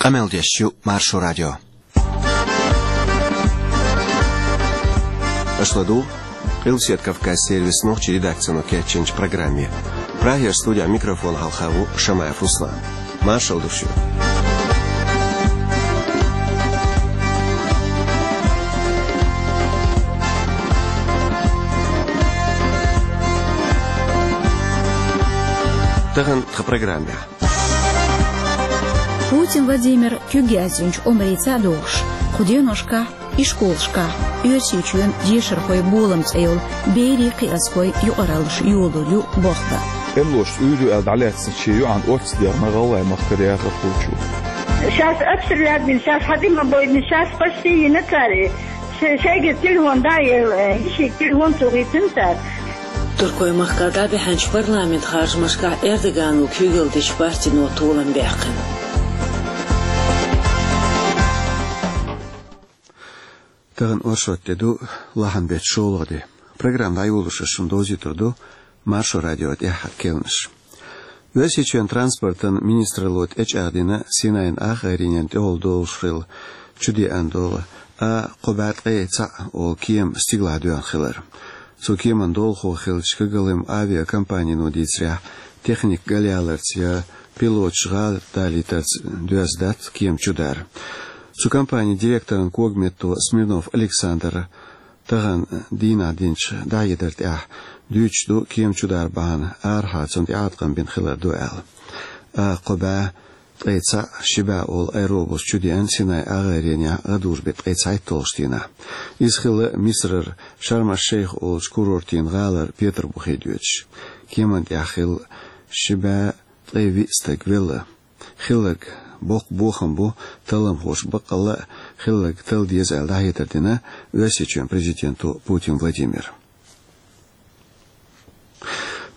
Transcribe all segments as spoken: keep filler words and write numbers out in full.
Къамел деш ю Маршо радио. Аша ладугӀу Къилбаседа Кавказан сервисан нохчийн редакцино кечйинчу программе. Прагера студехь микрофон хьалха ву Шамаев Руслан. Маршалла ду шуьга. Тахана тхан программехь. Путин Владимир куьг яздинчу омрийца а догӀуш, кху деношкахь ишколашкахь «Оьрсийчоьнан дешархойн болам» цӀе йолу берийн кхиазхойн юкъараллаш йолалур ю болх бан. Эмлошца уьйр ю аьлла дӀалаьцна шен йоӀана оццу дегӀна ГӀалгӀай махкара яхархочо. Сейчас обстрелять бина, сейчас хьадима бойдина, сейчас почти йина цара. Шайга телефон дӀа а елла, йишига телефон цо хийцина цара. Туркойн махкахь дӀабаьхьначу парламентан харжамашкахь Эрдогано куьйгалла дечу партино толам баьккхина. Тахана оршот де ду, лахьанан беттан шолгӀа де. Программа дӀайолош ас шуна довзуьйтур ду Маршо радион тӀаьххьара керланаш. Оьрсийчоьнан транспортан министралло тӀечӀагӀдина Синайн акхаренна тӀехула долуш хилла чудеана долу А кхо бӀе ткъе цхьаъ олу кема стигалахь доьгӀна хилар. Цу кеман долахо хиллачу КГЛМ авиакомпанино дийцарехь, техника галъяларца я пилоташ гӀала далийтарца доьзна дац кема чудар. Цу компанин директоран когаметто Смирнов Александра тахана дийнахь динчу дӀахьедар тӀехь дуьйцуш ду кема чудар бахьана арахьа цунна тӀеӀаткъам бина хилар ду аьлла. А кхо бӀе ткъе цхьаъ, ши бӀе олу аэробус чудеана Синайн акхаренехь гӀадужу беттан ткъе цхьайтталгӀачу дийнахь. Иза хилла Мисрара Шарм-аш-Шейх олучу курортийн гӀалара Петарбухе доьдуш. Кеман тӀехь хилла ши бӀе ткъе виъ стаг велла. Хилларг боккха бохам бу талламхоша, баккъалла а хилларг талла деза аьлла дӀахьедар дина Оьрсийчоьнан президенто Путин Владимира.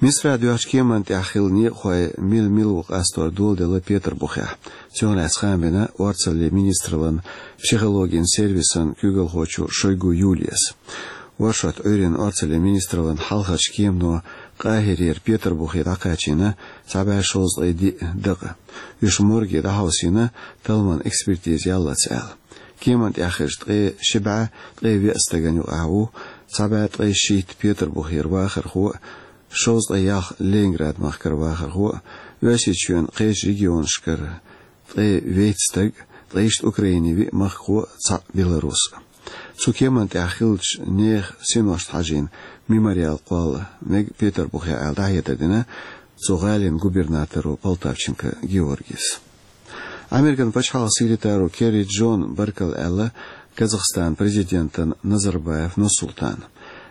Мисрахь доьхначу кеман тӀехь хилла некъахой мила-мила ву къастор доладелла Петарбухехь. Цунах лаьцна хаам бина орцаллин министраллан психологин сервисан куьйгалхочо Шойгу Юлияс. Оршот Ӏуьйренна орцаллин министраллан хьалхарчу кемано Къахирера Петарбухе дӀакхачийна цхьа бӀе шовзткъе диъ дакъа. Уьш морге дӀахьовсийна, талламан экспертиза яллалц аьлла. Кеман тӀехь хиллачу ткъе ши бӀе ткъе виъ стагана юкъахь ву цхьа бӀе ткъе шийтта Петарбухера вахархо а, шовзткъе ялх Ленинград махкара вахархо а, Оьрсийчоьнан кхечу регионашкара ткъе вейтта стаг, ткъе ишта Украинин виъ махкахо а, цхьаъ беларус а. Цу кеман тӀехь хиллачу нехан синошна хьажийна мемориал кхолла мега Петарбухехь аьлла дӀахьедар дина цу гӀалин губернаторо Полтавченко Георгис. Американ пачхьалкхан секретаро Керри Джона баркалла аьлла Казахстанан президентана Назарбаев Нурсултана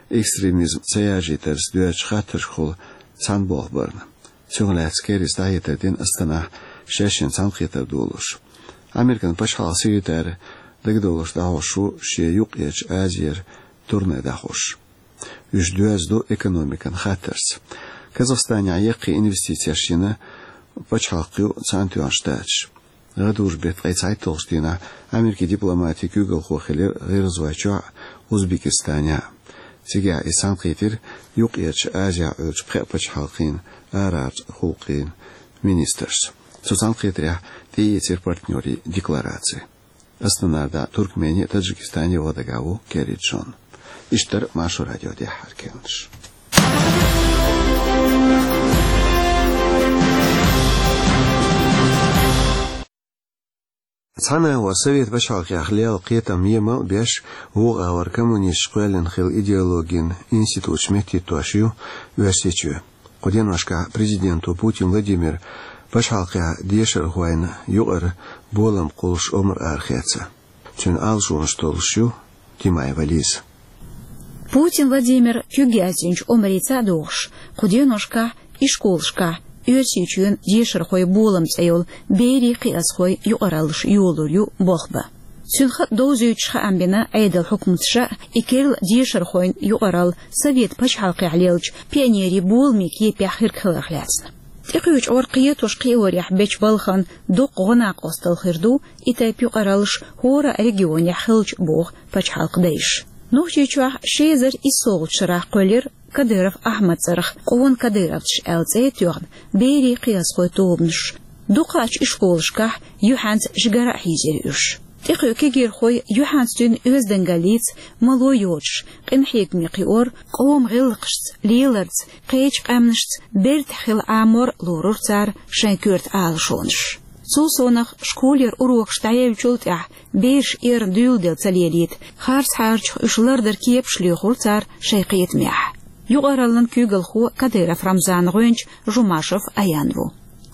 экстремизм ца яржийтарца доьзначу хаттаршкахула цхьаьна болх барна. Цунах лаьцна Керрис дӀахьедар дина Астанахь шаьшшинна цхьаьнакхетар долуш. Американ пачхьалкхан секретарь дагадовларш дӀахьош ву шен Юккъерчу Азера турне дӀахьош. Уьш доьзна ду экономикан хаттарца. Казахстанехь яккхий инвестицеш йина пачхьалкх ю Цхьаьнатоьхначу Штаташ. ГӀадужу беттан ткъе цхьайтталгӀачу дийнахь Америкин дипломатин куьйгалхо хилира ГӀиргӀазвойчохь а, Узбекистанехь а. Цигахь иза цхьаьнакхийтира Юккъерчу Азехь Ӏуьллучу пхеа пачхьалкхийн арахьарчу гӀуллакхийн министрша. Цу цхьаьнакхетарехь тӀеэцира партнерийн деклараци. Астанара дӀа Туркмене а, Таджикистане а ваха дагахь ву Керри Джон. Иштта дара Маршо радион тӀаьххьара керланаш. Цхьана агӀор Совет пачхьалкхехь лелла кхетам емал а беш, вукху агӀор коммунисташа кхоьллина хилла идеологин институташ меттахӀиттош ю Оьрсийчоь. Кху деношкахь президенто Путин Владимира пачхьалкхехь дешархойн юкъара болам кхуллуш омра арахецна. Цуьнан алашонаш толлуш ю Тимаева Лиза. Путин Владимир куьг яздинчу омрийца а догӀуш, кху деношкахь ишколашкахь «Оьрсийчоьнан дешархойн болам» цӀе йолу берийн кхиазхойн юкъараллаш йолалур ю болх бан. Цуьнан хатӀ довзуьйтуш хаам бина Ӏедалан хьукматаша, и керла дешархойн юкъаралла Совет пачхьалкхехь леллачу пионерийн боламийн кепехь хирг хиларх лаьцна. ТӀекхуьучу гӀор кхетош-кхиорехь бечу балхана доккха гӀо-накъосталла хир ду и тайпа юкъараллаш хӀора а регионехь хилча, боху пачхьалкхан дайша. Нохчийчохь ши эзар иссолгӀачу шарахь кхоьллира Кадыров Ахьмадан цӀарах «Къона кадыровцаш» аьлла цӀе а тоьхна, берийн кхиазхойн тобанаш. Дукхачу ишколашкахь юьхьанца жигара а хьийзира уьш. ТӀекхуьу кегийрхой юьхьанца дуьйна оьздангаллица, мало йоцуш, къинхьегаме кхиор, къоман гӀиллакхашца, леларца, кхечу къаьмнашца бертахь хила Ӏамор лорура цара шайн коьрта Ӏалашонаш. Цул совнаха школера урокаш дӀаяьллачул тӀаьхьа бераш эрна дуьйладелла ца лелийта, харцхьарчах уьш лардар кепаш лоьхура цара шайн кхетамехь. Юкъараллин куьйгалхо Кадыров Рамзанан гӀоьнча Жумашев Аян ву.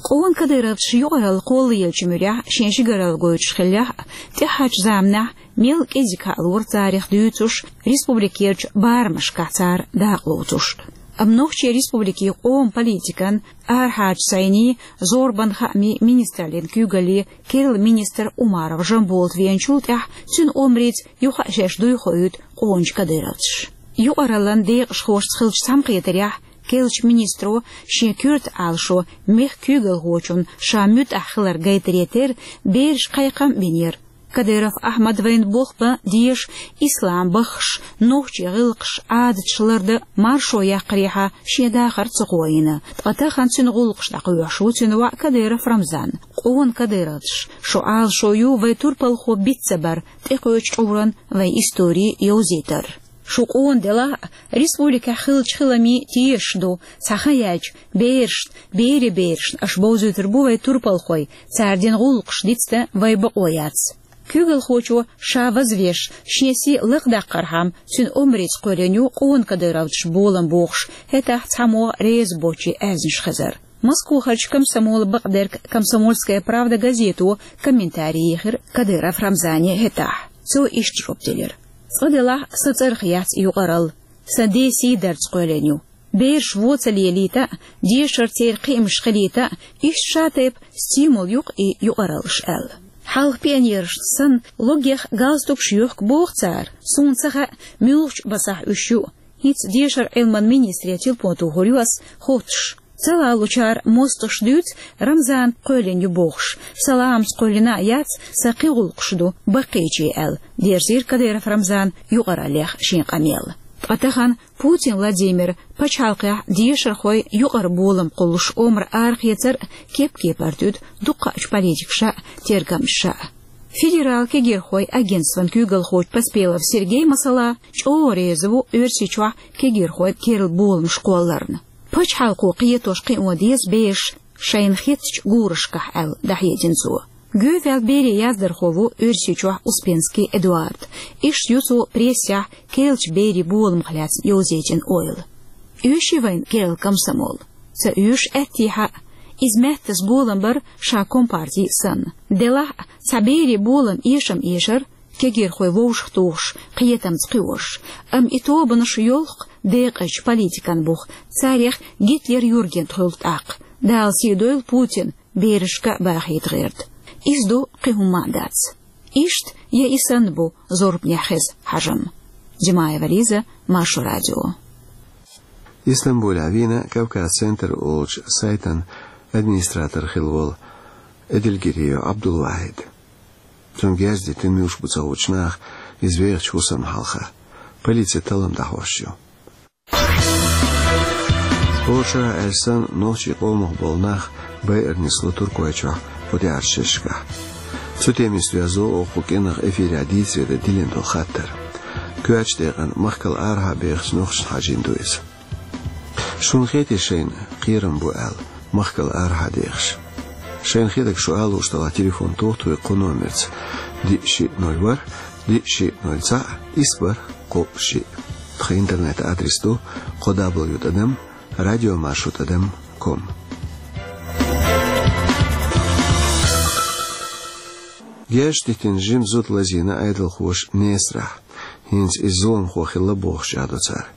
Къона кадыровцаш юкъаралла кхоллаеллачу муьрехь шен жигаралла гойтуш хиллехь а, тӀаьхьарчу заманахь мел кӀезиг хьалора царах дуьйцуш, республикерчу барамашкахь цара дакъа лоцуш. Амма Нохчийн Республикин къоман политикан, арахьарчу сайнийн, зорбанан хаамийн министраллин куьйгаллин керла министр Умаров Жамболат веанчул тӀаьхьа цуьнан омрица юха а шаьш дуй хоуьйту къоначу кадыровцаш. Юкъараллин декъашхошца хиллачу цхьаьнакхетарехь керлачу министро шен коьрта Ӏалашо мехкан куьйгалхочунна ша муьтӀахь хилар гайтаре терра бераш кхайкхам а бинера. Кадыров Ахьмад вайна болх бан дезаш, ислам баххаш, нохчийн гӀиллакхаш, Ӏадаташ лардан маршо яккхарехьа шен дахар ца кхоийна. Ткъа тахана цуьнан гӀуллакхаш дӀакхоьхьуш ву цуьнан воӀ Кадыров Рамзан. Къона кадыровцаш, шун Ӏалашо ю вай турпалхо биц ца бар, тӀекхуьучу чкъуран вайн истори йовзийтар. Шу къона делахь а, республикехь хиллачу хиламийн тешаш ду, цхьа хан яьлча, берашна, берийн берашна аша бовзуьйтур бу вай турпалхой, цара дина гӀуллакхаш дицдан вайн бакъо яц. Куьйгалхочо ша вазвеш, шен сий лакхадаккхархьама, цуьнан омрица кхоьллина ю къона кадыровцаш болам бохуш, хӀетахь цхьаммо реза боцчийн аьзнаш хезар. Москвахарчу комсомолан бакъдерг «Комсомольская правда» газето комментарий йихира Кадыров Рамзане хӀетахь. Цо иштта жоп делира: «Цкъа делахь а, сан цӀарах яц юкъаралла. Сан ден сий дарца кхоьллина ю. Бераш вон ца лелийта а, дешаран церан кхиамаш хилийта а, иштта шатайпа стимул ю-кх и юкъараллаш», — аьлла. Хьалха пионерашна санна логгех галстукаш йохку боху цара. Суна ца хаьа, муьлхачу басахь уьш ю. ХӀинца дешаран Ӏилманан министре телефон тухур ю ас, хоттуш. Ца лалучара мостагӀаша дуьйцу, Рамзана кхоьллина ю бохуш. Сан ламаца кхоьллина а яц, сан кхин гӀуллакхаш ду, баккхийчийн аьлла, дерзийра Кадыров Рамзана юкъараллех шен къамел. Ткъа тахана Путин Владимира пачхьалкхехь дешархойн юкъара болам кхуллуш омра арахецар а кеп-кепара туьду дуккхачу политикаша а, тергамчаша а. Федералан кегийрхойн агентстван куьйгалхочу Поспелов Сергей, масала, чӀогӀа реза ву Оьрсийчохь кегийрхойн керла боламаш кхолларна. Пачхьалкхо кхетош кхио деза бераш шайна хеттачу гурашкахь, аьлла, дӀахьедина цо. Гоьваьлла берийн яздархо ву Оьрсийчохь Успенский Эдуард. Иштта ю цо прессехь керлачу берийн боламах лаьцна йовзийтина ойла. Оьший вайна керла комсомол? Ца оьшу аьттехьа а. Иза маьттаза болам бар ша компартий санна. Делахь а, цхьа берийн болам эшам эшар, кегийрхой вовшахтухуш, кхетамца кхиош. Амма и тобанаш йолх-кх декъазчу политикан бух, царех Гитлер-Юргент хуьлу тӀаккха. Дала сий дойла Путин, берашка а бахийта гӀерта. Иза ду, кхин хӀумма а дац. Иштта я и санна бу зорбанехь хеза хьажам. Димаева Лиза, Маршо радио. Истамбулехь вийна «Кавказ-центр» олучу сайтан администратор хилла волу Эдильгириев Абдулвахид. Цунна герз дитина муьлш бу ца хуучу наха, иза вехачу хӀусамна хьалха. Полици таллам дӀахьош ю. Оша аьлла санна, нохчийн къомах болу нах байарнисло Туркойчохь кху тӀаьхьарчу шерашкахь. Цу темица доьзна оха кху кӀиранах эфирехь дийцаре дан диллина долу хаттар. Коьртачу декъана махкал арахьа бехачу нохчашна хьажийна ду иза. Шуна хетий шайна кхерам бу аьлла махкал арахьа дехаш? Шайна хетарг шу алуш делахь, телефон тоха тхуьга кху номерца: диъ шиъ ноль ворхӀ, диъ шиъ ноль цхьаъ, исс бархӀ кхоъ шиъ. Тхан интернет-адрес ду: кхо дабл ю тӀадам радиомаршо тӀадам ком. Герз дитина жима зуда лазийна Ӏедалхоша Несарахь. ХӀинца иза зуламхо хилла бохуш чӀагӀдо цара.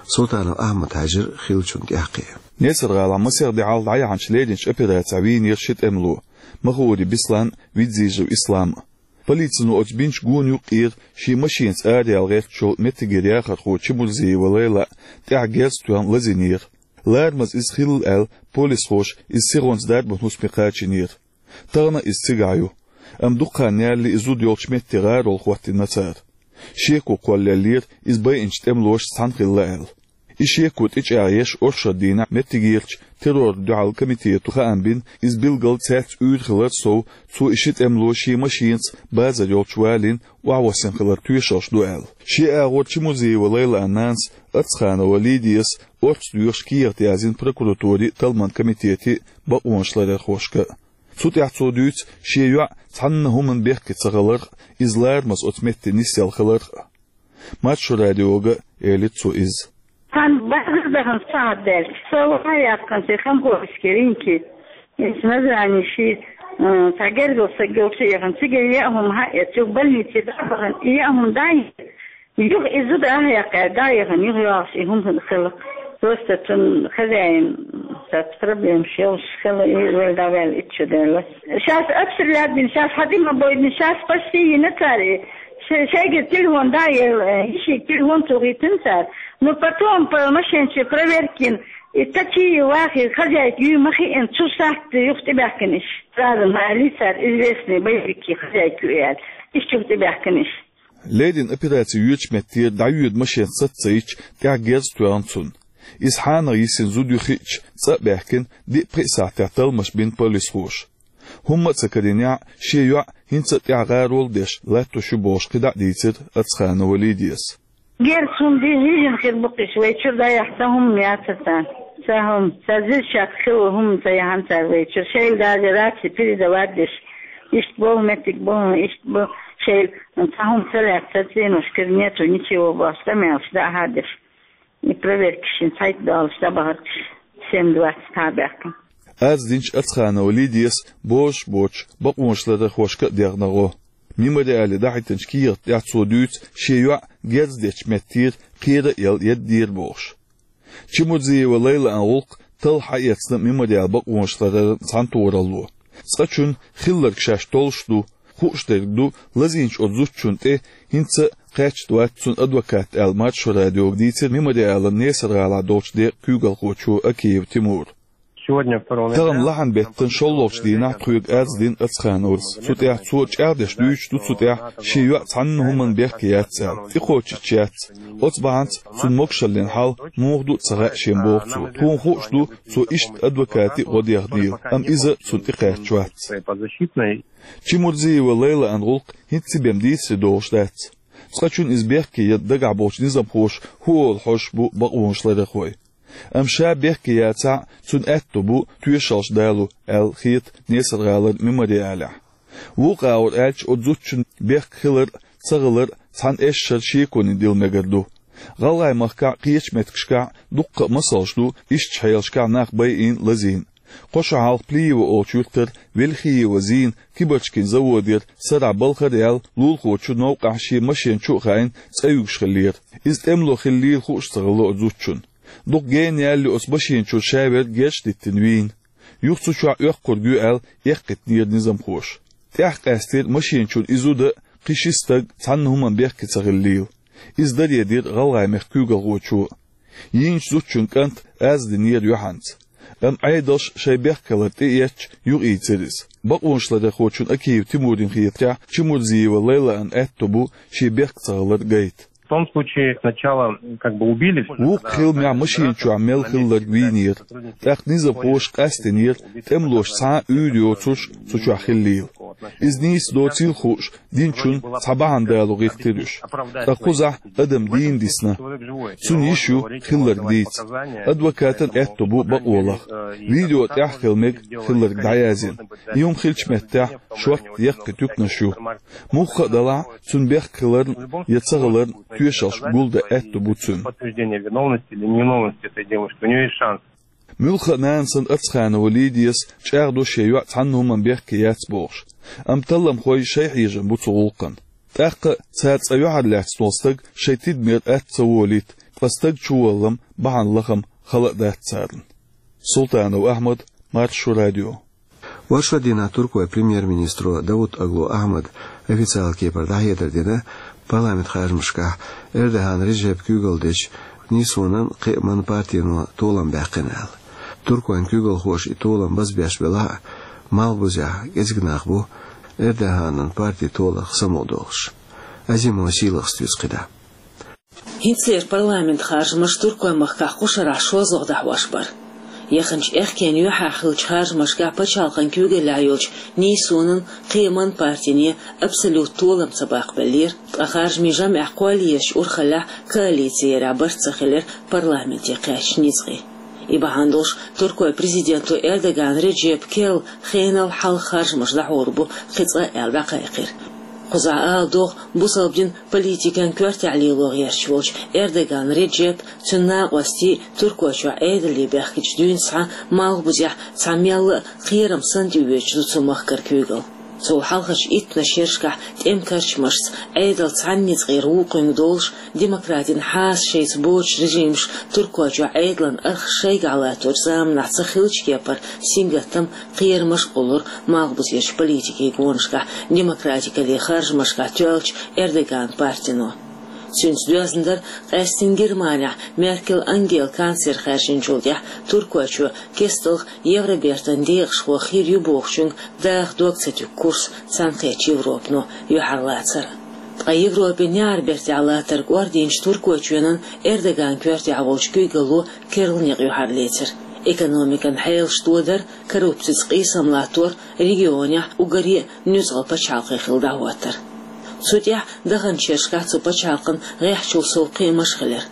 Султанов Ахьмад хьаьжира хиллачунна тӀаьххье. Несар-гӀалахь масех де хьалха дӀаяьхьначу леринчу операцехь вийна шу тӀемало: Махаури Беслан, Видзижев Ислам. Полицино оцу бинчу гонан юккъера шен машенаца араяла гӀертачу меттигера яхархо Чемурзиева Лейла тӀехь герз тоьхна лазийнера. Ларамаза иза хилла аьлла, полисхоша иза сихонца дарбан хӀусаме кхачийнера. Тахана а иза цигахь ю. Амма дукха хан ялале и зуда йолчу метте гӀарол хӀоттийна цара. Шеко кхоллаеллера, иза байинчу тӀемалошца цхьаьна хилла аьлла. И шеко тӀечӀагӀъеш оршот дийнахь меттигерчу террорна дуьхьал комитето хаам бина, иза билггал цаьрца уьйр хилар сов, цо и ши тӀемало шен машенаца базар йолчу валийна, охьавоссина хилар тоьшаллаш ду аьлла. Шен агӀор Чемурзиева Лайлан нанас Ацханова Лидияс орца доьхуш кехат яздина прокуратуре а, талламан комитете а бакъонашларъярхошка а. Цу тӀехь цо дуьйцу шен йоӀ цхьанна хӀуманна бехке ца хиларх а, иза ларамаза оцу метте нисъелла хиларх а. Маршо радиога элира цо иза. Цхьана базар дахана сахьат даьлча, со ваха яьккхина цхьа хамхоьрский рынке. Иза Назрани ши, э, цхьа гергара стаг йолчу яхана, цигара яа хӀума хьаэцча, больнице дӀа а бахана, и яа хӀума дӀа а, юха и зуда а яьккхина, дӀа а яхана, юха йогӀуш и хӀума хила. Просто цуьнан хозяин, цхьацца проблемаш йолуш хила, и вала дӀаваьлла итт шо даьлла. Шаьш обстрелять бина, шаьш хьан тӀе ма бойдина, шаьш почти йина цара и. Шай-, шайгара телефон дӀа а елла, э, йишига телефон тухийтина цара. Но потом по машен чу проверка йина, и такие вахи, хозяйка ю ма хиъна, цу сахьте юха тӀебаьхкина иш. Сразу ма аьллий цара, известный боевики хозяйка ю аьлла. Иш юха тӀебаьхкина иш. Ледина операци йоьдучу меттера дӀайоьду машен саца ца йича, тӀехь герз тоьхна цунна. Иза хьанах йисина зуда ю хиъча, цӀа а баьхкина, диъ-пхиъ сахьтехь талламаш бина полисхоша. ХӀумма а ца карийнехь, шен йоӀ хӀинца а тӀехь гӀарол а деш латтош ю бохуш кхидӀа а дийцира Ацханова Лидияс. Герз хӀума ди хьийжина хир бу-кх иш, вай чуьра дӀаяхьа цхьа хӀума яцара царна. Цхьа хӀума, цхьа зирчатка хилла хӀума ца яхьана цара вай чуьра. Шайла даже раци передавать деш, иштта боху меттиг боху, иштта бу, шайла цхьа хӀума ца лаьцна, цӀеношкара нету ничего бохуш, къамелаш дӀа а хьадеш. И проверкаш шин цхьайтта долуш дӀабахарх семь двадцать хьабаьхкина. Аз динчу Ацханова Лидияс бозуш боцуш бакъонашларъярхошка а дегӀна гӀо. Мемориале дахьийтинчу кехат тӀехь цо дуьйцу шен йоӀ герз дечу меттера кхера а елла еддера бохуш. Чемурзиева Лайлан гӀуллакх талха хьаэцна мемориал бакъонашларъяран цхьаьнатохаралло. Цкъачунна хилларг шаьш толлуш ду, хууш дерг ду, лазийначу оцу зудчунна тӀе хӀинца а кхаьчна вац цуьнан адвокат аьлла, Маршо радиога дийцира Мемориалан Несар-гӀалахь долчу декъан куьйгалхочо Акиев Тимура. Сегодня, второго ноября, Тахана лахьан беттан шолгӀачу дийнахь тхоьга аз дина Ацхановас. Цу тӀехь цо чӀагӀдеш дуьйцуш ду цу тӀехь, шен йоӀ цхьанна хӀуманна бехке яц аьлла. ТӀекхочуш яц. Оцу бахьанца цуьнан могушаллин хьал муха ду а ца хаьа шена боху цо. Тхуна хууш ду, цо иштта адвокате а гӀо дехнийла, амма иза цунна тӀекхаьчна вац. Чемурзиева Лайлан гӀуллакх хӀинца цхьа бен дийцаре догӀуш дац. Цкъачунна иза бехке ян дагахь болчу низамхоша хӀун олу хьожуш бу бакъонашларъярхой. Амма ша бехке яцахь а, цуьнан аьтто бу тоьшаллаш далу аьлла хета Несар-гӀалара Мемориалехь. Вукху агӀор аьлча, оцу зудчун бехке хилар а, ца хилар а цхьана эшшара шеконе дилла мегар ду. ГӀалгӀайн махкахь а, кхечу меттигашкахь а дуккха а масалш ду, ишттачу хьелашкахь нах байина а, лазийна а. Кхо шо хьалха Плиево олучу юьртара Вельхиева Зина кибарчкийн заводера сарахь балхара яьлла лулахочун новкъахь шен машен чу а хаийна, цӀа юьгуш хиллера. Иза тӀемало хиллийла хууш ца хилла оцу зудчунна. Дукха гена ялале оцу машен чуьра ша верг герзаш диттина вийна. Юха цу чохь оьккхург ю аьлла, эккхийтинера низамхоша. ТӀаьхьа къаьстира машен чуьра и зуда а, кхин ши стаг а цхьанна хӀуманна бехке ца хиллийла. Иза даре дира ГӀалгӀайн мехкан куьйгалхочо а. Йийначу зудчун кӀанта аз динера юьхьанца. Амма Ӏедалша шайн бехке хилар тӀеэцча, юхаийцира иза. Бакъонашларъярхочун Акиев Тимурна хетарехь, Чемурзиева Лайлан аьтто бу шен бехке ца хилар гайта. В том случае сначала как бы убили. Вукху хиламехь машен чохь мел хилларг вийнера. ТӀаккха низамхоша къастийнера тӀемалоша цхьа а уьйр йоцурш цу чохь хиллийла. Иза нийса доцийла хууш, динчунна цхьа бахьана далу гӀиртира уьш. Ткъа кхузахь адам дийна дисна. Цуьнан йиш ю хилларг дийца. Адвокатан аьтто бу бакъо лаха. Видео тӀехь а хила мега хилларг дӀаязйина. И хӀума хиллачу меттехь шортта яккхий туьканаш ю. Мухха а делахь, цуьнан бехке хиларна я ца хиларна тоьшаллаш гулдан аьтто бу цуьнан. Подтверждение виновности или невиновности этой девушки. У неё есть шанс. Муьлхха а нана санна Ацханова Лидияс чӀагӀдо шен йоӀ цхьанна хӀуманна бехке яц бохуш. Амма талламхой шайн хьежам бу цу гӀуллакхна. ТӀаккха цара цкъа юьхьарлаьцна волу стаг шайн тидамера атта ца волийта, ткъа стаг чуваллам бахьана лахам хала а дац царна. Султанов Ахьмад, Маршо радио. Оршот дийнахь туркойн премьер-министро Давутоглу Ахьмада официалан кепара дӀахьедар дина парламентан харжамашкахь Эрдоган Реджепа куьйгалла дечу НСУ-нан, кхиаман партино толам баьккхина аьлла. Туркойн куьйгалхоша и толам базбеш белахь а, малхбузехь кӀезиг нах бу Эрдоганан парти толарх самукъадолуш. Азимова Сийлахас дуьйцу кхидӀа. ХӀинцалера парламентан харжамаш Туркойн махкахь кху шарахь шолгӀа дӀахьош бара. Яханчу аьхкенан юьхьехь хиллачу харжамашкахь пачхьалкхан куьйгаллехь йолчу НИИСУ-нан, кхин а партийн абсолютан толам ца баккхабеллера, ткъа харжамийн жамӀех кхоллаечу урхаллехь коалици ярехь барт ца хилира парламенте кхаьчначу ницкъийн. И бахьана долуш Туркойн президенто Эрдоган Реджепа керла хенал хьалха харжамаш дӀахьур бу кхин цкъа аьлла дӀакхайкхира. Кхузахь ала догӀу, бусалба динан политикан коьртехь лело гӀерташ волчу Эрдоган Реджепа, цуьнан накъостий Туркойчохь Ӏедале баьхкича дуьйна схьа малхбузехь цхьа мелла а кхерам санна тӀеоьцуш ду цу махкара куьйгалла. Цул хьалхарчу иттаннаш шерашкахь тӀеман карчамашца, Ӏедалца цхьана ницкъера вукхуьнга долуш, демократин хьаса шайца боцучу режимаша Туркойчохь Ӏедалан архаш шайгахь латторчу заманахь ца хиллачу кепара сингаттам, кхерамаш а кхуллура малхбузерчу политикин гонашкахь, демократикаллин харжамашкахь тоьллачу Эрдоган партино. Цуьнца доьзна дара къаьсттина Германехь Меркель Ангела канцлер хаьржинчул тӀаьхьа Туркойчо кестта Евробертан декъашхо хир ю бохучуьнга даха дог ца туьгу курс цхьаьнакхеттачу Европано юьхьарлацар. Ткъа Европин неӀарбертехь латтар кӀордийначу Туркойчоьнан Эрдоган коьртехь волчу куьйгалло керла некъ юьхьарлецира. Экономикан хьелаш тодар, коррупцица къийсам латтор, регионехь уггаре а нуьцкъала пачхьалкх хилла дӀахӀоттар. Цу тӀехь даханчу шерашкахь цу пачхьалкхан гӀеххьачул сов кхиамаш а хилира.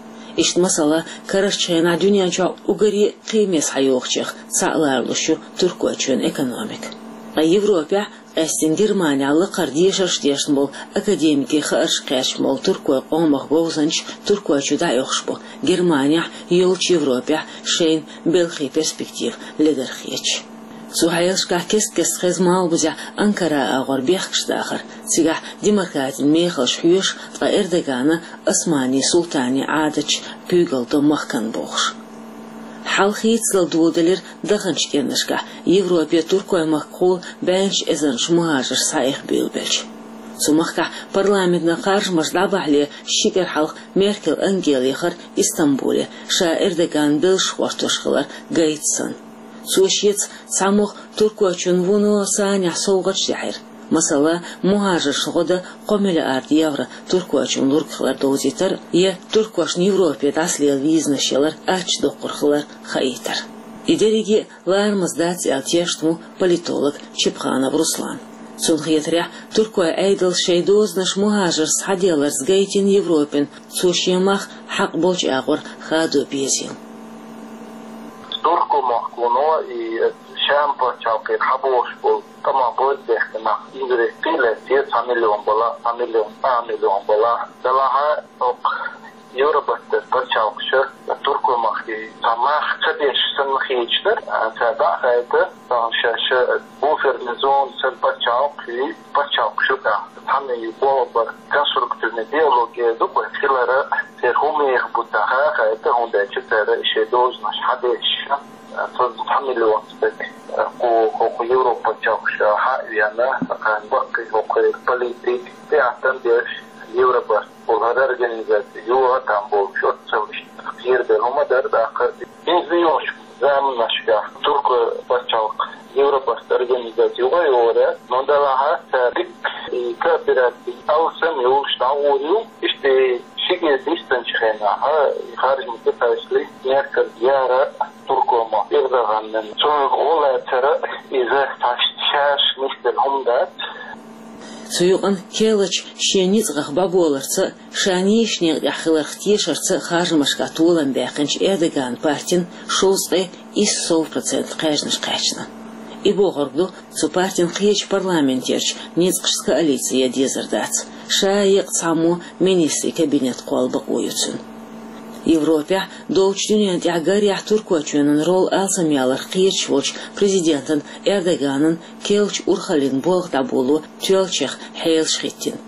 Иштта, масала, карарчу хенахь дуьнен чохь уггаре а кхиаме схьайогӀучех цхьаъ лоруш ю Туркойчоьнан экономика. Ткъа Европехь, къаьсттина Германехь, лакхара дешарш а дешна болу, академикийн хаарш кхаьчна болу туркойн къомах говзанчаш Туркойчу дӀаоьхуш бу, Германехь, йолчу Европехь шайна белхий перспектива ледара хеташ. Цу хьелашкахь кест-кеста хеза малхбузехь Анкара агӀор бехкаш дахар, цигахь демократин мехаллаш хьоьшуш, ткъа Эрдогана Османийн султанийн Ӏадаташ куьйгалла до махкана бохуш. Хьал хийцалла доладелира даханчу кӀирнашкахь Европе Туркойн махкахула бӀеннаш эзарнаш мухӀажарш схьаэха буьйлабелча. Цу махкахь парламентан харжамаш дӀабахьале ши кӀира хьалха Меркель Ангела яхара Истамбуле, ша Эрдоган белшаш гӀортош хилар гайта санна. Цо шеца цхьамогӀа Туркойчунна вуно санехь совгӀаташ дехьира. Масала, мухӀажаршна гӀо дан кхо миллиард евро Туркойчунна лург хилар довзийтар я туркошна Европе дӀасалела визанаш ялар ачча доккхур хилар хаийтар. И дерриге а ларамаза дац аьлла тешна ву политолог Чепханов Руслан. Цунна хетарехь, туркойн Ӏедалс шайн дозанаш мухӀажаршца схьаделларца гайтина Европина, цо шен мах хьакъ болчу агӀор хадо безийла. Туркойн махкахула и Шам пачхьалкхера хьабогӀуш болу тӀамах бозбехке нах иза кхиале, те цхьа миллион балахь, цхьа миллион, цхьа миллион балахь, делахь а, хӀокху Евробарта пачхьалкхаша туркойн махкахь цхьа мах ца деш санна хеташ дара, цара дӀа а хаийта, тахана шаьш буферный зона санна пачхьалкх, пачхьалкхаш юкъахь цхьаьна болх бар, конструктивный диалог эр ду-кх вай, хилар а, церан хӀун меха бу ца хаийта, хӀунда аьлча цара шайн дозанаш хьадеш, цхьа миллион стаг, кху, кху, кху Европа пачхьалкхаша хьа а веана, кхин баккхий хӀокху политик, тӀеӀаткъам беш, Евробарт олу хӀара организаци юха а там болчу оццул иштта кхерабелла хӀума дара тӀаккха. ХӀинца йолчу заманашкахь туркойн пачхьалкх Евробарт организаци юха а йогӀур яц, но делахь а цара дикка и коопераци алсам йолуш дӀагӀур ю, иштта шиге дистанчу хенахь, и харжамийн кхайкхалц Меркель яра туркойн мах Эрдоганна. Цунах гӀо лацар а иза тхаьш шаьш нисделла хӀума дац. Цу юкъана керлачу шен ницкъах бӀобаларца а, ша нийсачу некъа тӀехь хиларх тешарца а харжамашкахь толам баьккхинчу Эрдоганан партина шовзткъе исс сов процент кхаьжнаш кхаьчна. И бохург ду, цу партина кхечу парламентерчу ницкъашца коалици ян дезар дац. Ша а, еккъа цхьаммо министрийн кабинет кхолла бакъо ю цуьнан. Европехь, долчу дуьненна тӀехь гарехь Туркойчоьнан роль алсамъяларх кхераш волчу президентан Эрдоганан керлачу урхаллин болх дӀаболо тоьллачех хьелаш хӀиттина.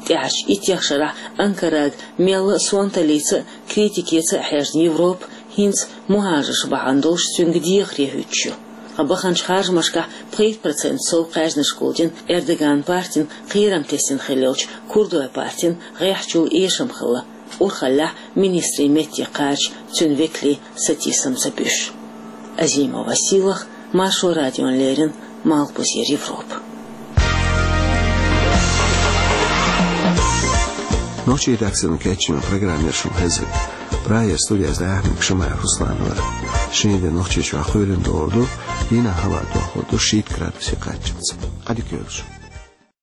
ТӀаьхьарчу иттех шарахь Анкарага мелла а сонталлица а, критикица а хьаьжна Европа хӀинца мухӀажарш бахьана долуш цуьнга дехаре хӀуьттуш ю. Ткъа баханчу харжамашкахь пхийтта процент сов кхаьжнаш гулдина Эрдоганан партина кхерам тесна хилла йолчу курдойн партина гӀеххьачул эшам хилла, урхаллехь министрийн метте кхача цуьнан векалийн сатийсам ца буьсуш. Азимова Сийлаха, Маршо радиона леррина, Малхбузера Европа. Нохчийн редакцино кечйина программа яр шун хезира. Прагера студияз дӀаяхьнарг Шамаев Руслан вар. Шин де Нохчийчохь кхоьлина догӀур ду, дийнахь хӀаваъ дохлур ду шийтта градусе кхаччалц. Ӏадика йойла шун.